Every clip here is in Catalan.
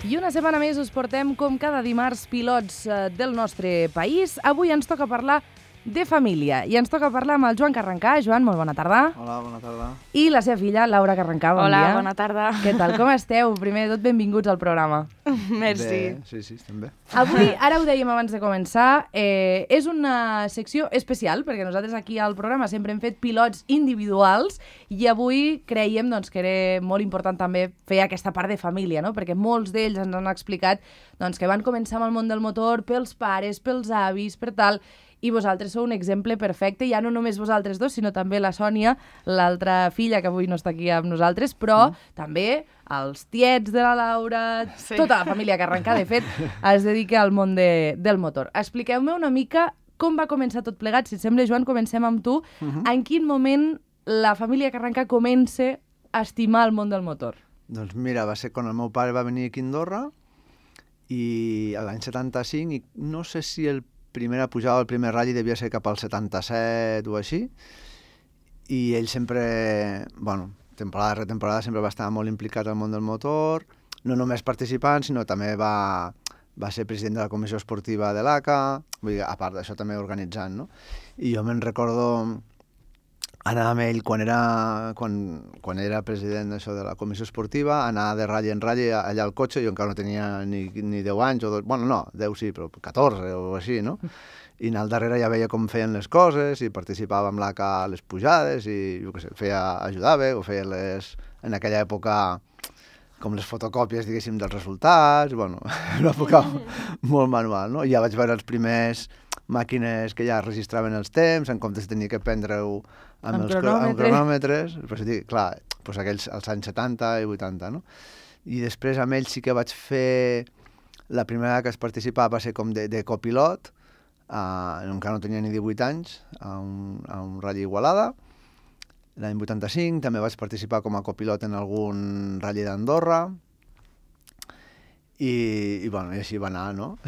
I una setmana més us portem, com cada dimarts, pilots del nostre país. Avui ens toca parlar de família i ens toca parlar amb el Joan Carrencà. Joan, molt bona tarda. Hola, bona tarda. I la seva filla, Laura Carrencà, bon dia. Hola, bona tarda. Què tal, com esteu? Primer de tot, benvinguts al programa. Merci. Bé, sí, estem bé. Avui, ara ho dèiem abans de començar, és una secció especial, perquè nosaltres aquí al programa sempre hem fet pilots individuals i avui creiem doncs, que era molt important també fer aquesta part de família, no? Perquè molts d'ells ens han explicat doncs, que van començar amb el món del motor pels pares, pels avis, per tal, i vosaltres sou un exemple perfecte, ja no només vosaltres dos, sinó també la Sònia, l'altra filla que avui no està aquí amb nosaltres, però també els tiets de la Laura, tota la família Carrencà, de fet, es dedica al món del motor. Expliqueu-me una mica com va començar tot plegat. Si et sembla, Joan, comencem amb tu. En quin moment la família Carrencà comença a estimar el món del motor? Doncs mira, va ser quan el meu pare va venir aquí a Andorra i l'any 75, i no sé si el primera pujada al primer ratll devia ser cap al 77 o així, i ell sempre, bueno, temporada rere temporada sempre va estar molt implicat al món del motor, no només participant, sinó també va ser president de la comissió esportiva de l'ACA, vull dir, a part d'això també organitzant, no? I jo me'n recordo anar amb ell quan era president d'això de la comissió esportiva, anar de ratll en ratll allà al cotxe. Jo encara no tenia ni 10 anys, bueno, no, 10 sí, però 14 o així, no? I anar al darrere ja veia com feien les coses i participava amb l'ACA a les pujades i, jo què sé, ajudava o feia en aquella època, com les fotocòpies, diguéssim, dels resultats, bueno, una època molt manual, no? I ja vaig veure els primers màquines que ja registraven els temps, en comptes de tenir que prendre-ho amb cronòmetres, però sí, clar, doncs aquells als anys 70 i 80, no? I després amb ells sí que vaig fer, la primera que es participava va ser com de copilot, encara no tenia ni 18 anys, a un ratll Igualada. L'any 85 també vaig participar com a copilot en algun ratll d'Andorra, i bueno, i així va anar, no?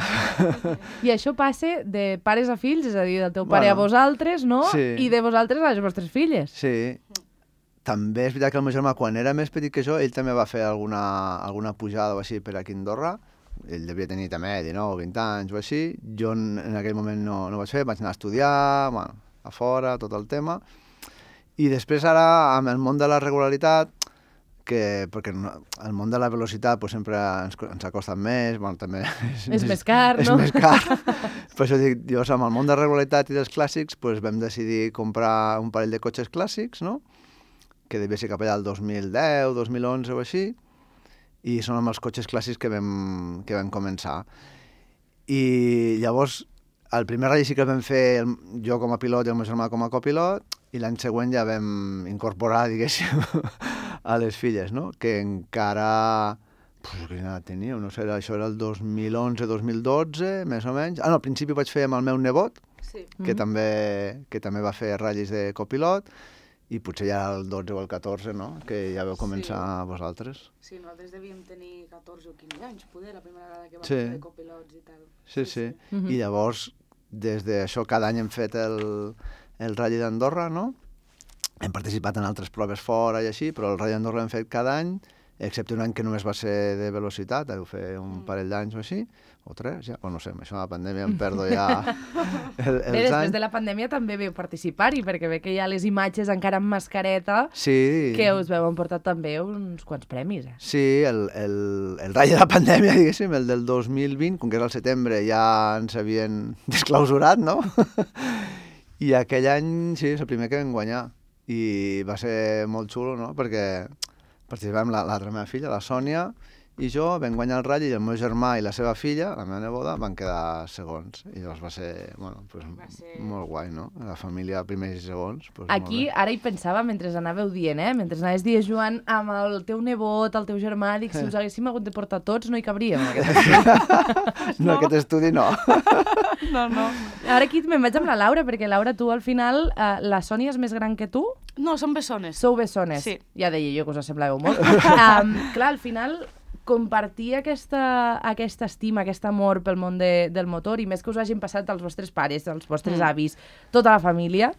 I això passa de pares a fills, és a dir, del teu pare a vosaltres, no? Sí. I de vosaltres a les vostres filles. Sí. També és veritat que el meu germà, quan era més petit que jo, ell també va fer alguna pujada o així per aquí a Andorra. Ell devia tenir també 19 o 20 anys o així. Jo en aquell moment no vaig fer, vaig anar a estudiar, bueno, a fora, tot el tema. I després ara, amb el món de la regularitat, perquè el món de la velocitat pues, sempre ens ha costat més, bueno, també és més car, no? És més car. Per això dic, llavors, amb el món de la regularitat i dels clàssics, pues, vam decidir comprar un parell de cotxes clàssics, no? Que devia ser cap allà el 2010, 2011 o així, i són amb els cotxes clàssics que vam començar. I llavors, el primer ratll sí que el vam fer jo com a pilot i el meu germà com a copilot, i l'any següent ja vam incorporar, diguéssim, a les filles, no? Que encara... Quina edat tenia? No sé, això era el 2011-2012, més o menys. Al principi vaig fer amb el meu nebot, que també va fer ratllis de copilot, i potser ja el 12 o el 14, no? Que ja vau començar vosaltres. Sí, nosaltres devíem tenir 14 o 15 anys, poder, la primera vegada que vam fer de copilots i tal. Sí. I llavors, des d'això, cada any hem fet el ratll d'Andorra, no? Hem participat en altres proves fora i així, però el ratll d'Andorra l'hem fet cada any, excepte un any que només va ser de velocitat, deu fer un parell d'anys o així, o 3, ja, o no sé, amb això de la pandèmia em perdo ja els anys. Després de la pandèmia també veu participar-hi, perquè ve que hi ha les imatges encara amb mascareta, que us veu emportar també uns quants premis. Sí, el ratll de la pandèmia, diguéssim, el del 2020, com que era el setembre, ja ens havien desclausurat, no? I aquell any, sí, és el primer que vam guanyar. I va ser molt xulo, no? Perquè participàvem l'altra meva filla, la Sònia, i jo vam guanyar el ratll, i el meu germà i la seva filla, la meva neboda, van quedar segons. I llavors va ser, bueno, molt guai, no? La família primers i segons. Aquí, ara hi pensava, mentre anàveu dient, mentre anaves dient, Joan, amb el teu nebot, el teu germà, dic, si us haguéssim hagut de portar tots, no hi cabríem, en aquest estudi. No, aquest estudi no. No. Ara aquí me'n vaig amb la Laura, perquè Laura, tu al final, la Sònia és més gran que tu? No, som bessones. Sou bessones. Sí. Ja deia jo que us assemblàveu molt. Clar, al final, compartir aquesta estima, aquest amor pel món del motor, i més que us hagin passat els vostres pares, els vostres avis, tota la família,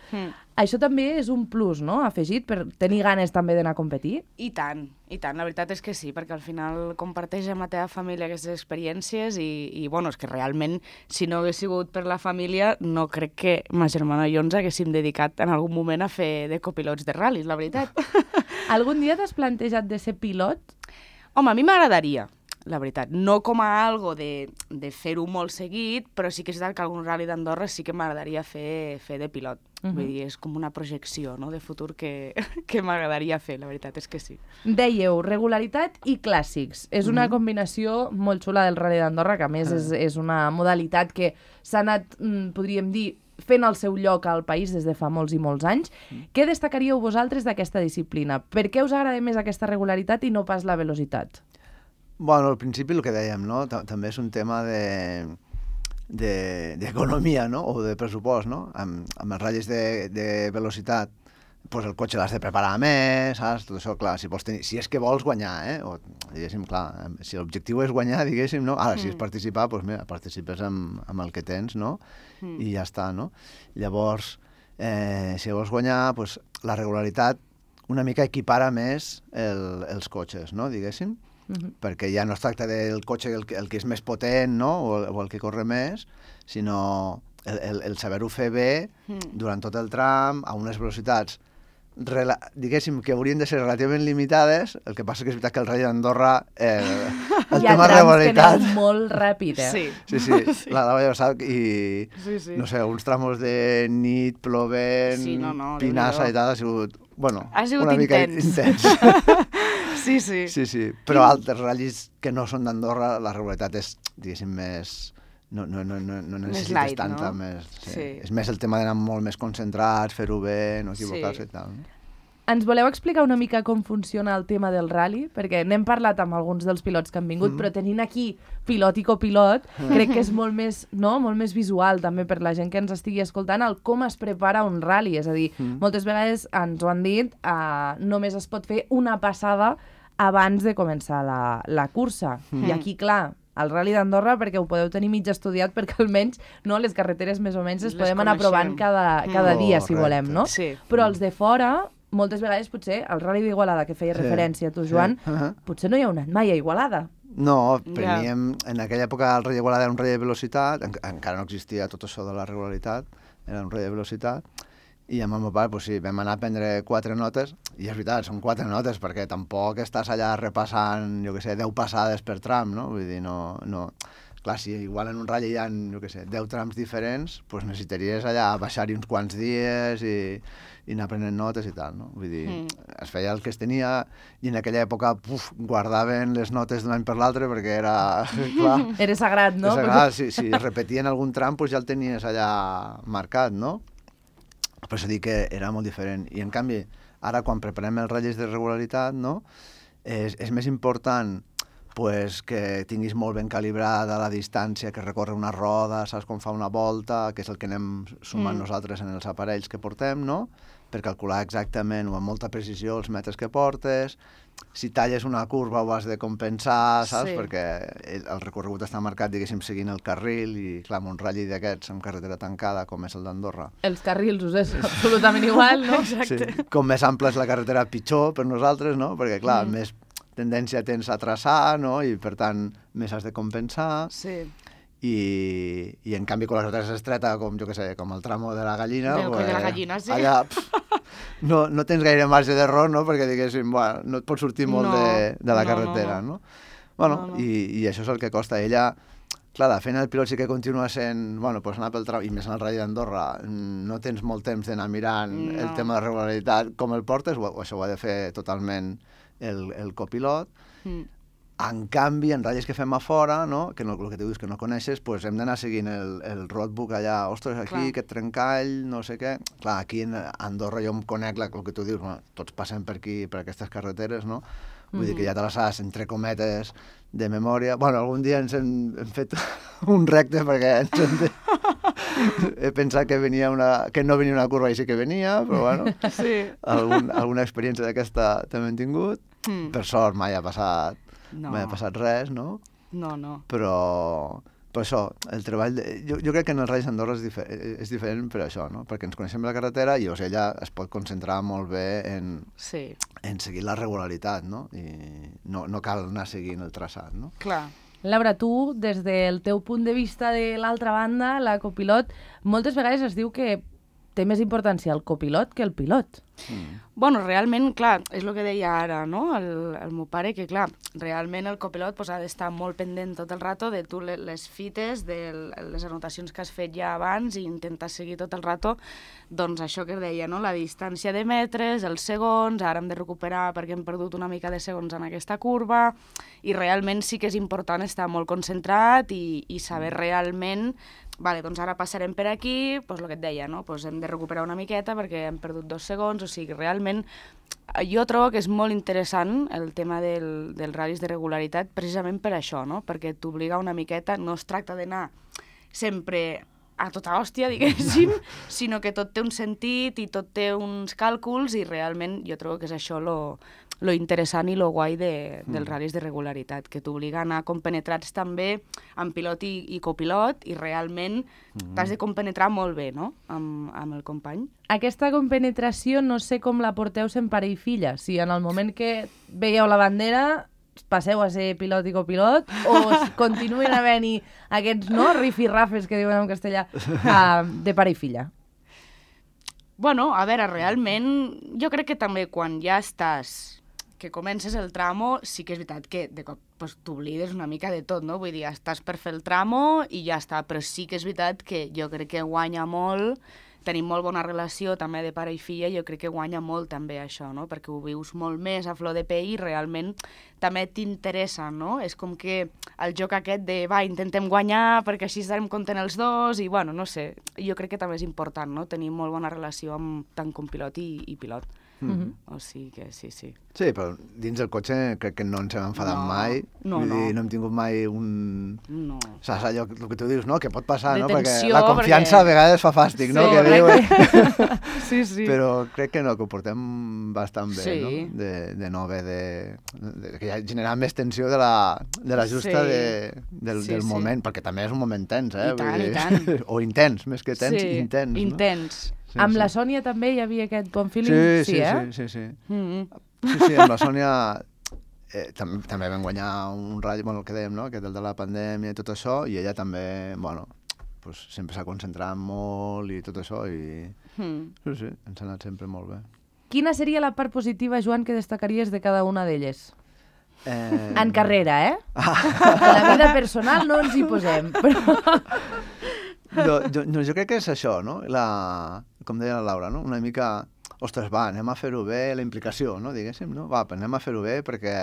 això també és un plus, no?, afegit per tenir ganes també d'anar a competir. I tant, la veritat és que sí, perquè al final comparteix amb la teva família aquestes experiències i bueno, és que realment, si no hagués sigut per la família, no crec que ma germana i jo ens haguéssim dedicat en algun moment a fer de copilots de ral·lis, la veritat. Algun dia t'has plantejat de ser pilot? Home, a mi m'agradaria, la veritat. No com a algo de fer-ho molt seguit, però sí que és veritat que algun ral·li d'Andorra sí que m'agradaria fer de pilot. Vull dir, és com una projecció, no?, de futur que m'agradaria fer, la veritat és que sí. Dèieu, regularitat i clàssics. És una combinació molt xula del Ral·li d'Andorra, que a més és una modalitat que s'ha anat, podríem dir, fent el seu lloc al país des de fa molts i molts anys. Què destacaríeu vosaltres d'aquesta disciplina? Per què us agrada més aquesta regularitat i no pas la velocitat? Bueno, al principi el que dèiem, no? També és un tema d'economia, no?, o de pressupost, no? Amb els ratllis de velocitat, pues el cotxe l'has de preparar més, saps? Tot això, clar, si és que vols guanyar, o diguéssim, clar, si l'objectiu és guanyar, diguéssim, no? Ara, si és participar, doncs mira, participes amb el que tens, no? I ja està, no? Llavors, si vols guanyar, doncs la regularitat una mica equipara més els cotxes, no?, diguéssim, perquè ja no es tracta del cotxe el que és més potent, no?, o el que corre més, sinó el saber-ho fer bé durant tot el tram, a unes velocitats diguéssim que haurien de ser relativament limitades. El que passa que és veritat que el Rally d'Andorra el tema de regularitat... Hi ha trams que anem molt ràpid, Sí. La vaig passar i, no sé, uns tramos de nit, plovent, pinassa i tal, ha sigut, bueno, una mica intens. Sí. Però altres ratllis que no són d'Andorra, la regularitat és, diguéssim, més... No necessites light, tanta no? més... Sí. És més el tema d'anar molt més concentrats, fer-ho bé, no equivocar-se i tal. Ens voleu explicar una mica com funciona el tema del rally? Perquè n'hem parlat amb alguns dels pilots que han vingut, però tenint aquí pilot i copilot, crec que és molt més visual també per la gent que ens estigui escoltant el com es prepara un rally. És a dir, moltes vegades ens ho han dit, només es pot fer una passada abans de començar la cursa. I aquí, clar, el Rally d'Andorra, perquè ho podeu tenir mig estudiat, perquè almenys les carreteres més o menys les podem anar provant cada dia, si volem, no? Sí. Però els de fora, moltes vegades potser, el Rally d'Igualada, que feia referència a tu, Joan, potser no hi ha anat mai a Igualada. No, preníem... En aquella època el Rally d'Igualada era un rally de velocitat, encara no existia tot això de la regularitat, era un rally de velocitat, i amb el meu pare, vam anar a prendre 4 notes, i és veritat, són 4 notes, perquè tampoc estàs allà repassant, 10 passades per tram, no? Vull dir, no... Clar, si igual en un ratll hi ha, 10 trams diferents, doncs necessitaries allà baixar-hi uns quants dies i anar prenent notes i tal, no? Vull dir, es feia el que es tenia, i en aquella època guardaven les notes d'un any per l'altre, perquè era... Clar, era sagrat, no? Era sagrat, si es repetien algun tram, doncs ja el tenies allà marcat, no? Per això dic que era molt diferent. I, en canvi, ara, quan preparem els ratllis de regularitat, no? És més important pues, que tinguis molt ben calibrada la distància que recorre una roda, saps com fa una volta, que és el que anem sumant nosaltres en els aparells que portem, no? Per calcular exactament o amb molta precisió els metres que portes. Si talles una curva ho has de compensar, saps? Perquè el recorregut està marcat, diguéssim, seguint el carril, i clar, amb un ratll d'aquests amb carretera tancada, com és el d'Andorra. Els carrils us és absolutament igual, no? Exacte. Sí. Com més ampla és la carretera, pitjor per nosaltres, no? Perquè, clar, més tendència tens a traçar, no? I, per tant, més has de compensar. Sí. I en canvi, quan la carretera és estreta, com, com el tramo de la gallina... Del coll de la gallina, sí. Allà no tens gaire marge d'error, no? Perquè, diguéssim, no et pots sortir molt de la carretera, no? Bueno, i això és el que costa. Ella, clar, la feina del pilot sí que continua sent, doncs anar pel tram, i més en el Rally d'Andorra, no tens molt temps d'anar mirant el tema de regularitat, com el portes, o això ho ha de fer totalment el copilot. En canvi, en ratllis que fem a fora, no? Que el que tu dius que no coneixes, doncs hem d'anar seguint el roadbook allà, ostres, aquí, aquest trencall, no sé què. Clar, aquí a Andorra jo em conec el que tu dius, tots passem per aquí, per aquestes carreteres, no? Vull dir que ja te les saps, entre cometes, de memòria. Bueno, algun dia ens hem fet un recte perquè he pensat que no venia una curva i sí que venia, però bueno, alguna experiència d'aquesta també hem tingut. Per sort mai ha passat No. m'ha passat res, no? No. Però això, el treball... Jo crec que en el Ral·lis d'Andorra és diferent per això, no? Perquè ens coneixem la carretera i ella es pot concentrar molt bé en seguir la regularitat, no? I no cal anar seguint el traçat, no? Clar. Laura, tu, des del teu punt de vista de l'altra banda, la copilot, moltes vegades es diu que té més importància el copilot que el pilot. Bueno, realment, clar, és el que deia ara, no?, el meu pare, que clar, realment el copilot ha d'estar molt pendent tot el rato de tu les fites, de les anotacions que has fet ja abans i intentar seguir tot el rato, doncs això que deia, no?, la distància de metres, els segons, ara hem de recuperar perquè hem perdut una mica de segons en aquesta curva, i realment sí que és important estar molt concentrat i saber realment, vale, doncs ara passarem per aquí, doncs el que et deia, no?, doncs hem de recuperar una miqueta perquè hem perdut 2 segons, o sigui, realment jo trobo que és molt interessant el tema dels ral·lis de regularitat precisament per això, no?, perquè t'obliga una miqueta, no es tracta d'anar sempre a tota hòstia, diguéssim, sinó que tot té un sentit i tot té uns càlculs i realment jo trobo que és això lo interessant i lo guai dels ral·lis de regularitat, que t'obliga a anar compenetrats també amb pilot i copilot i realment t'has de compenetrar molt bé, no?, amb el company. Aquesta compenetració no sé com la porteu sent pare i filla, si en el moment que veieu la bandera passeu a ser pilot i copilot o continuen havent-hi aquests, no, rifirrafes que diuen en castellà de pare i filla? Bueno, a veure, realment jo crec que també quan ja estàs, que comences el tramo, sí que és veritat que de cop pues, t'oblides una mica de tot, no? Vull dir, estàs per fer el tramo i ja està, però sí que és veritat que jo crec que guanya molt, tenim molt bona relació també de pare i filla, jo crec que guanya molt també això, no? Perquè ho vius molt més a flor de pell i realment també t'interessa, no? És com que el joc aquest de, va, intentem guanyar perquè així estarem contents els dos i, bueno, no sé, jo crec que també és important, no?, tenir molt bona relació amb tant com pilot i pilot. O sigui que sí. Sí, però dins del cotxe crec que no ens hem enfadat mai. No hem tingut mai un... No. Saps allò el que tu dius, no?, que pot passar, de no? Tensió, perquè la confiança a vegades fa fàstic, no? Que correcte. Sí. Però crec que no, que ho portem bastant bé, sí. No? De no haver que ja generar més tensió de la justa del moment, perquè també és un moment tens, I tant. O intens, més que tens, intens. Intens. Sí, amb la Sònia també hi havia aquest bon feeling? Sí. Sí, amb la Sònia també vam guanyar un ratll, bueno, el que dèiem, no?, que del de la pandèmia i tot això, i ella també, bueno, pues, sempre s'ha concentrat molt i tot això, i sí, ens ha anat sempre molt bé. Quina seria la part positiva, Joan, que destacaries de cada una d'elles? En carrera, eh? En la vida personal no ens hi posem, però... Jo crec que és això, no? Com deia la Laura, no? Una mica, ostres, va, anem a fer-ho bé, la implicació, no? Diguéssim, no? Va, anem a fer-ho bé perquè...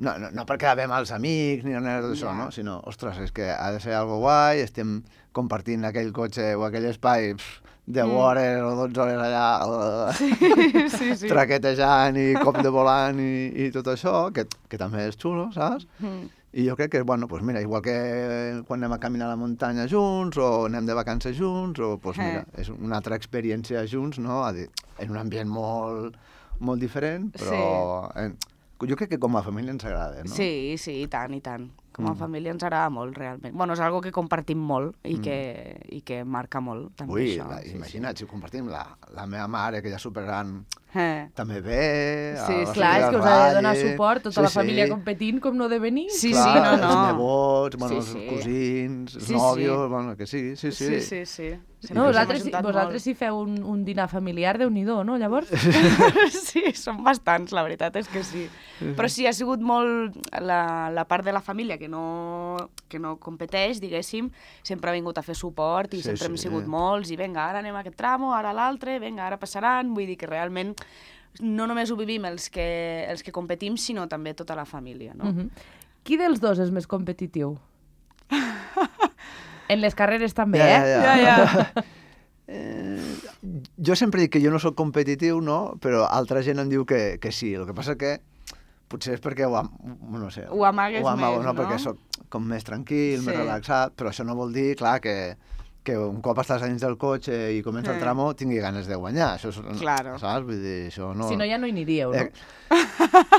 No perquè avem els amics ni res d'això, no? Sinó, ostres, és que ha de ser algo guai, estem compartint aquell cotxe o aquell espai 10 hores o 12 hores allà sí. traquetejant i cop de volant i tot això, que també és xulo, saps? I jo crec que, bueno, pues mira, igual que quan anem a caminar a la muntanya junts o anem de vacances junts, o pues mira, és una altra experiència junts, no? En un ambient molt, molt diferent, però jo crec que com a família ens agrada, no? Sí, i tant. Com a família ens agrada molt, realment. Bueno, és algo que compartim molt i que marca molt, també. Ui, això. Imagina't, si ho compartim, la meva mare, que ja superant, també ve... Clar, és que us ha de donar suport, tota la família competint, com no de venir. Sí, clar, no. Els nebots, els cosins, els nòvios, bueno, que sí. Sí. No, vosaltres si feu un dinar familiar, Déu-n'hi-do, no, llavors? Sí, són bastants, la veritat és que sí. Però sí, ha sigut molt la part de la família que no competeix, diguéssim, sempre ha vingut a fer suport i sempre hem sigut molts, i vinga, ara anem a aquest tramo, ara a l'altre, vinga, ara passaran, vull dir que realment no només ho vivim els que competim, sinó també tota la família, no? Qui dels dos és més competitiu? En les carreres també, Ja. Jo sempre dic que jo no sóc competitiu, no? Però altra gent em diu que sí. El que passa que potser és perquè ho amagues més, no? Perquè sóc com més tranquil, més relaxat, però això no vol dir, clar, que que un cop estàs dins del cotxe i comença el tramo tingui ganes de guanyar. Això és, Claro. saps? Vull dir, això no... Si no, ja no hi aniríeu, no?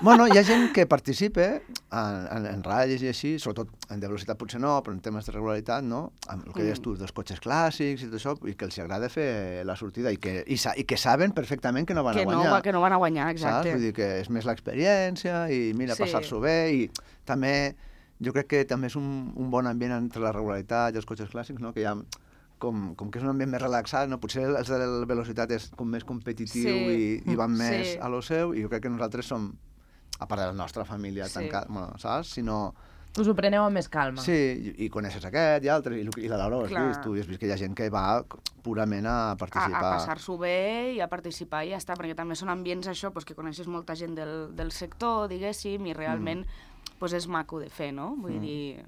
Bueno, hi ha gent que participa en ratlles i així, sobretot en de velocitat potser no, però en temes de regularitat, no? Amb el que deies tu, dels cotxes clàssics i tot això, i que els agrada fer la sortida i que saben perfectament que no van a guanyar. Que no van a guanyar, exacte. Saps? Vull dir que és més l'experiència i mira, passar-s'ho bé i també jo crec que també és un bon ambient entre la regularitat i els cotxes clàssics, no? Que hi ha com que és un ambient més relaxat, no? Potser els de la velocitat és com més competitiu i van més a lo seu, i jo crec que nosaltres som, a part de la nostra família tancada, bueno, saps? Sinó... Us ho preneu amb més calma. Sí, i coneixes aquest i altres, i la Laura ho has vist, tu has vist que hi ha gent que va purament a participar. A passar-s'ho bé i a participar i ja està, perquè també són ambients això, que coneixes molta gent del sector, diguéssim, i realment és maco de fer, no? Vull dir,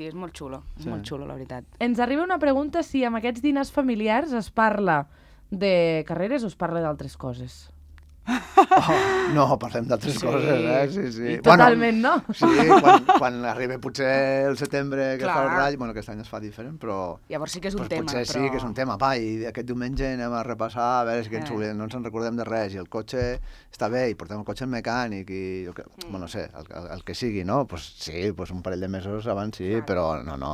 és molt xulo, molt xulo, la veritat. Ens arriba una pregunta si amb aquests dinars familiars es parla de carreres o es parla d'altres coses. No, parlem d'altres coses, sí. Totalment, no? Sí, quan arriba potser el setembre que fa el ratll, bueno, aquest any es fa diferent, però... Llavors sí que és un tema, potser sí que és un tema, i aquest diumenge anem a repassar, a veure si no ens en recordem de res, i el cotxe està bé, i portem el cotxe al mecànic, i bueno, no sé, el que sigui, no? Pues sí, un parell de mesos abans sí, però no.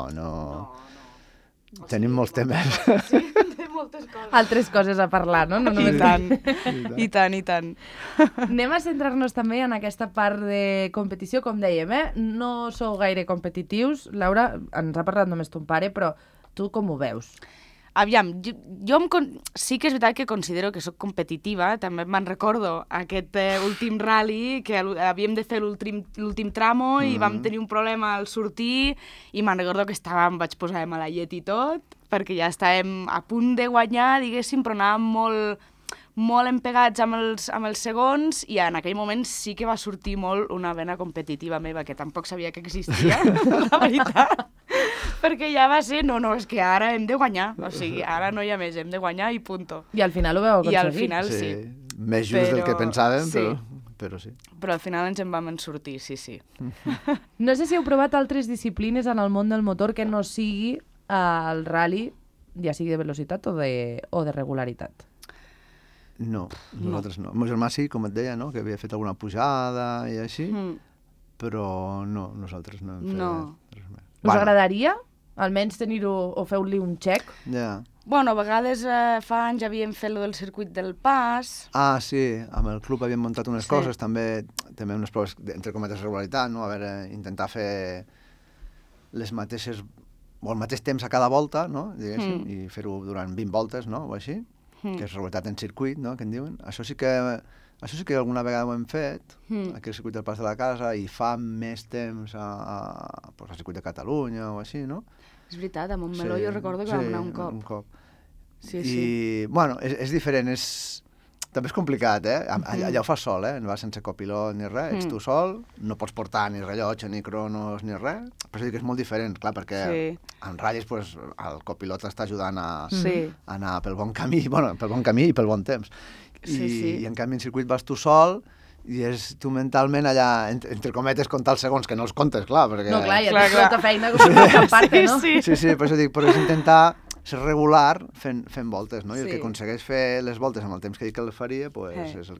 Tenim molts temes. Sí, tenim moltes coses. Altres coses a parlar, no? I tant. Anem a centrar-nos també en aquesta part de competició, com dèiem, No sou gaire competitius. Laura, ens ha parlat només ton pare, però tu com ho veus? Aviam, sí que és veritat que considero que sóc competitiva, també me'n recordo aquest últim rally que havíem de fer l'últim tramo i vam tenir un problema al sortir i me'n recordo que em vaig posar de mala llet i tot, perquè ja estàvem a punt de guanyar, diguéssim, però anàvem molt empegats amb els segons i en aquell moment sí que va sortir molt una vena competitiva meva, que tampoc sabia que existia, la veritat. Perquè ja va ser, no, és que ara hem de guanyar, o sigui, ara no hi ha més, hem de guanyar i punto. I al final ho vau aconseguir. I al final sí. Més just del que pensàvem, però sí. Però al final ens en vam sortir, sí. No sé si heu provat altres disciplines en el món del motor que no sigui el rally, ja sigui de velocitat o de regularitat. No, nosaltres no. El meu germà sí, com et deia, no? Que havia fet alguna pujada i així, però no, nosaltres no hem fet res més. Us agradaria almenys tenir-ho o feu-li un check? Ja. Bueno, a vegades fa anys havíem fet el del circuit del pas. Ah, sí, amb el club havíem muntat unes coses, també unes proves, entre cometes, de regularitat, no? A veure, intentar fer les mateixes, o el mateix temps a cada volta, no? Diguéssim, i fer-ho durant 20 voltes, no? O així, que és regularitat en circuit, no? Que en diuen. Això sí que alguna vegada ho hem fet, aquí al circuit del Pas de la Casa, i fa més temps al circuit de Catalunya o així, no? És veritat, a Montmeló jo recordo que vam anar un cop. Sí. I, bueno, és diferent, també és complicat, allà ho fas sol, no vas sense copilot ni res, ets tu sol, no pots portar ni rellotge, ni cronos, ni res, però és que és molt diferent, clar, perquè en ratlles el copilot t'està ajudant a anar pel bon camí, i pel bon temps. I en canvi en circuit vas tu sol i és tu mentalment allà, entre cometes, comptar els segons, que no els comptes, clar, perquè... No, clar, ja tens tota feina com a part, no? Sí, per això dic, però és intentar ser regular fent voltes, no? I el que aconsegueix fer les voltes amb el temps que dic que les faria, és el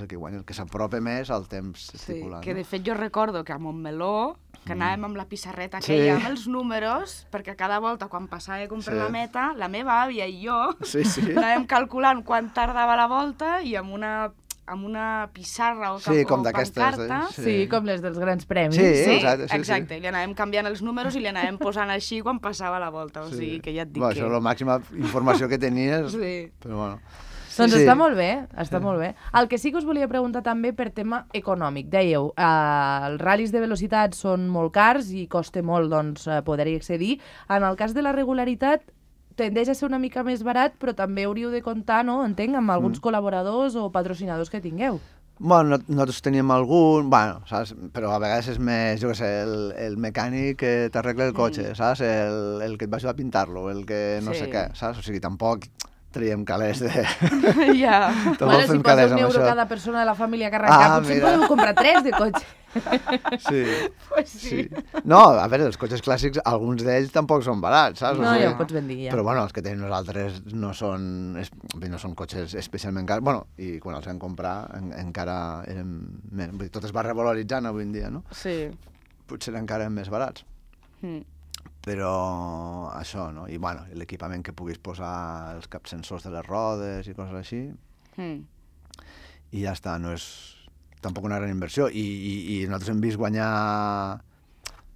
que guanya, el que s'apropa més al temps estipulat. Que de fet jo recordo que a Montmeló, que anàvem amb la pissarreta aquella, amb els números, perquè cada volta quan passàvem per la meta, la meva àvia i jo anàvem calculant quan tardava la volta i amb una pissarra o pancarta. Sí, com les dels grans premis. Sí, exacte. Li anàvem canviant els números i li anàvem posant així quan passava la volta. O sigui, que ja et dic que... Això és la màxima informació que tenies, però bueno... Doncs està molt bé, està molt bé. El que sí que us volia preguntar també per tema econòmic. Dèieu, els ral·lis de velocitat són molt cars i costa molt poder-hi accedir. En el cas de la regularitat, tendeix a ser una mica més barat, però també hauríeu de comptar, no, entenc, amb alguns col·laboradors o patrocinadors que tingueu. Bueno, nosaltres teníem algun, saps? Però a vegades és més, jo què sé, el mecànic que t'arregla el cotxe, saps? El que et va ajudar a pintar-lo, el que no sé què, saps? O sigui, tampoc traiem calés de... Ja. Bueno, si posa €1 cada persona de la família que arrencar, potser podeu comprar 3 de cotxe. Sí. Pues sí. No, a veure, els cotxes clàssics, alguns d'ells tampoc són barats, saps? No, ja ho pots ben dir, ja. Però bueno, els que tenim nosaltres no són cotxes especialment cars. Bueno, i quan els vam comprar encara eren més... Vull dir, tot es va revaloritzant avui en dia, no? Sí. Potser encara eren més barats. Però això, no? I bueno, l'equipament que puguis posar, els capsensors de les rodes i coses així, i ja està, no és tampoc una gran inversió. I nosaltres hem vist guanyar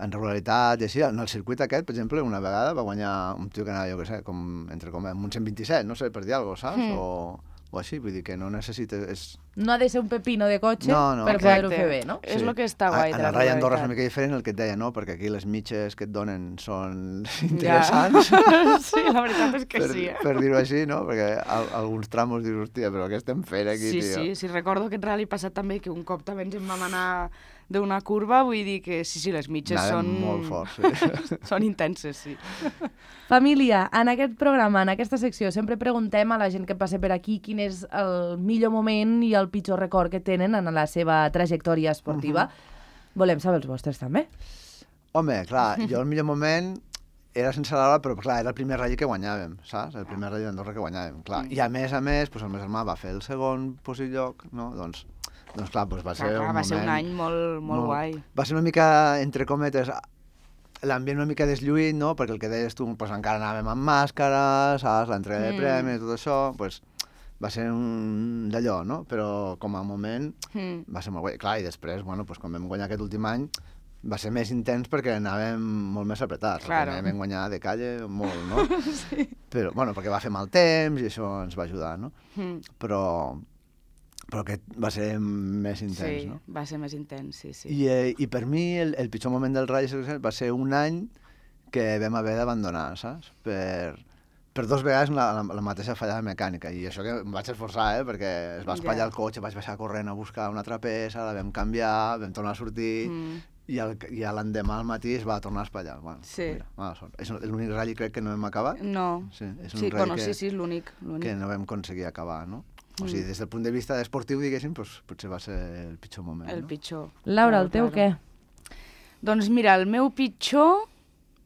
en regularitat i així. En el circuit aquest, per exemple, una vegada va guanyar un tio que anava, jo què sé, com un 127, no sé, per dir alguna cosa, saps? O així, vull dir que no necessites... No ha de ser un pepino de cotxe no, per poder-ho fer bé, no? És el que està guai. En el Rally Andorra és una mica diferent el que et deia, no? Perquè aquí les mitges que et donen són interessants. Sí, la veritat és que sí. Per dir-ho així, no? Perquè alguns tramos dius, hòstia, però què estem fent aquí, tio? Sí, recordo aquest rally passat també, que un cop també ens en vam anar d'una curva, vull dir que sí, les mitges són... molt forts, sí. Són intenses, sí. Família, en aquest programa, en aquesta secció, sempre preguntem a la gent que passa per aquí quin és el millor moment i el pitjor record que tenen en la seva trajectòria esportiva. Volem saber els vostres, també. Home, clar, jo el millor moment era sense Laura, però clar, era el primer rally que guanyàvem, saps? El primer rally d'Andorra que guanyàvem, clar. I a més, el meu germà va fer el segon lloc, no? Doncs clar, va ser un moment... Va ser un any molt guai. Va ser una mica, entre cometes, l'ambient una mica deslluït, no? Perquè el que deies tu, encara anàvem amb màscara, saps? L'entrega de premis, tot això, va ser un d'allò, no? Però com a moment va ser molt guai. Clar, i després, quan vam guanyar aquest últim any, va ser més intens perquè anàvem molt més apretats. Claro. Vam guanyar de calle molt, no? Sí. Però, perquè va fer mal temps i això ens va ajudar, no? Però aquest va ser més intens, no? Sí, va ser més intens, sí. I per mi el pitjor moment del Rally va ser un any que vam haver d'abandonar, saps? Per 2 vegades la mateixa fallada mecànica, i això que em vaig esforçar, perquè es va espatllar el cotxe, vaig baixar corrent a buscar una altra peça, la vam canviar, vam tornar a sortir, i l'endemà al matí es va tornar a espatllar. Bueno, sí. Mira, mala sort. És l'únic rally, crec, que no hem acabat. No. Sí, és un rally és l'únic. Que no vam aconseguir acabar, no? O sigui, des del punt de vista esportiu, diguéssim, potser va ser el pitjor moment. El pitjor. Laura, el teu què? Doncs mira, el meu pitjor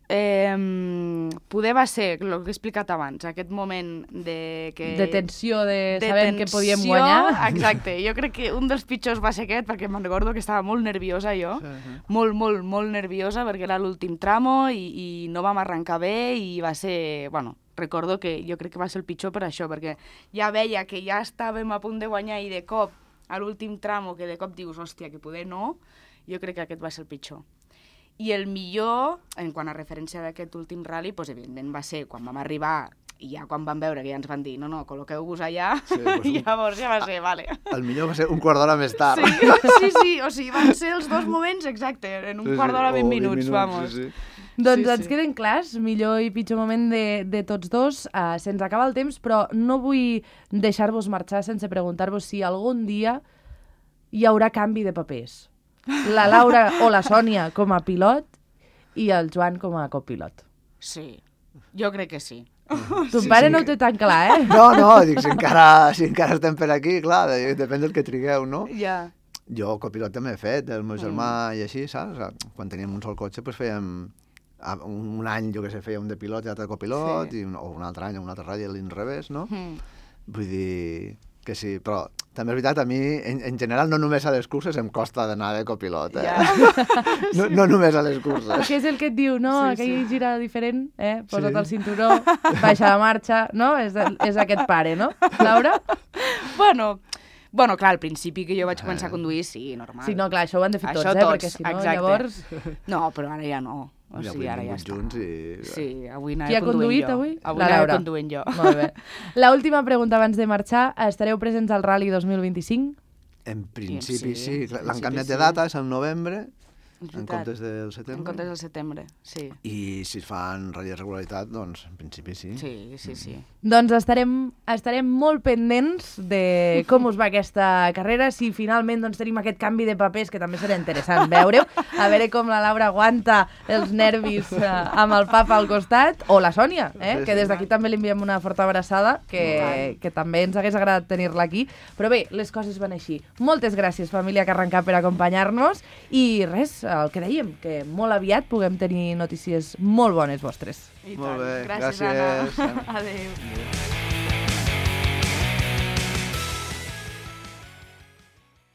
poder va ser el que he explicat abans, aquest moment de tensió, de saber que podíem guanyar. Exacte, jo crec que un dels pitjors va ser aquest, perquè me'n recordo que estava molt nerviosa jo, molt nerviosa, perquè era l'últim tramo i no vam arrencar bé i va ser, recordo que jo crec que va ser el pitjor per això, perquè ja veia que ja estàvem a punt de guanyar i de cop, a l'últim tramo, que de cop dius, hòstia, que poder no, jo crec que aquest va ser el pitjor. I el millor, en quant a referència d'aquest últim rally, evidentment va ser quan vam arribar i ja quan vam veure que ja ens van dir no, col·loqueu-vos allà, i llavors ja va ser, vale. El millor va ser un quart d'hora més tard. Sí, o sigui, van ser els 2 moments, exacte, en un quart d'hora, 20 minuts, vamos. Sí. Doncs ens queden clars, millor i pitjor moment de tots dos. Se'ns acaba el temps, però no vull deixar-vos marxar sense preguntar-vos si algun dia hi haurà canvi de papers. La Laura o la Sònia com a pilot i el Joan com a copilot. Sí, jo crec que sí. Ton pare no ho té tan clar, eh? No, dic, si encara estem per aquí, clar, depèn del que trigueu, no? Ja. Jo copilot també he fet, el meu germà i així, saps? Quan teníem un sol cotxe, fèiem un any, jo què sé, feia un de pilot i l'altre de copilot, o un altre any, un altre ratll a l'inrevés, no? Vull dir que sí, però també és veritat, a mi, en general, no només a les curses em costa d'anar de copilot, No només a les curses. Què és el que et diu, no? Aquell gira diferent, posa't el cinturó, baixa la marxa, no? És aquest pare, no? Laura? Bueno, clar, al principi que jo vaig començar a conduir, sí, normal. Sí, no, clar, això ho han de fer tots, perquè si no, llavors... No, però ara ja no. O sigui, ara ja està. Sí, avui anava conduint jo. Qui ha conduït avui? Avui anava conduint jo. Molt bé. L'última pregunta abans de marxar. Estareu presents al Rally 2025? En principi sí. L'han canviat de data, és el novembre, en comptes del En setembre. comptes del setembre, sí. I si es fan ratll de regularitat, doncs en principi sí. Sí. Doncs estarem molt pendents de com us va aquesta carrera, si finalment doncs, tenim aquest canvi de papers, que també serà interessant veure-ho, a veure com la Laura aguanta els nervis amb el papa al costat, o la Sònia, que des d'aquí també li enviem una forta abraçada, que també ens hagués agradat tenir-la aquí. Però bé, les coses van així. Moltes gràcies, família Carrencà, per acompanyar-nos, i res, el que dèiem, que molt aviat puguem tenir notícies molt bones vostres. I Molt tant. bé, Gràcies, gràcies. Anna. Adéu.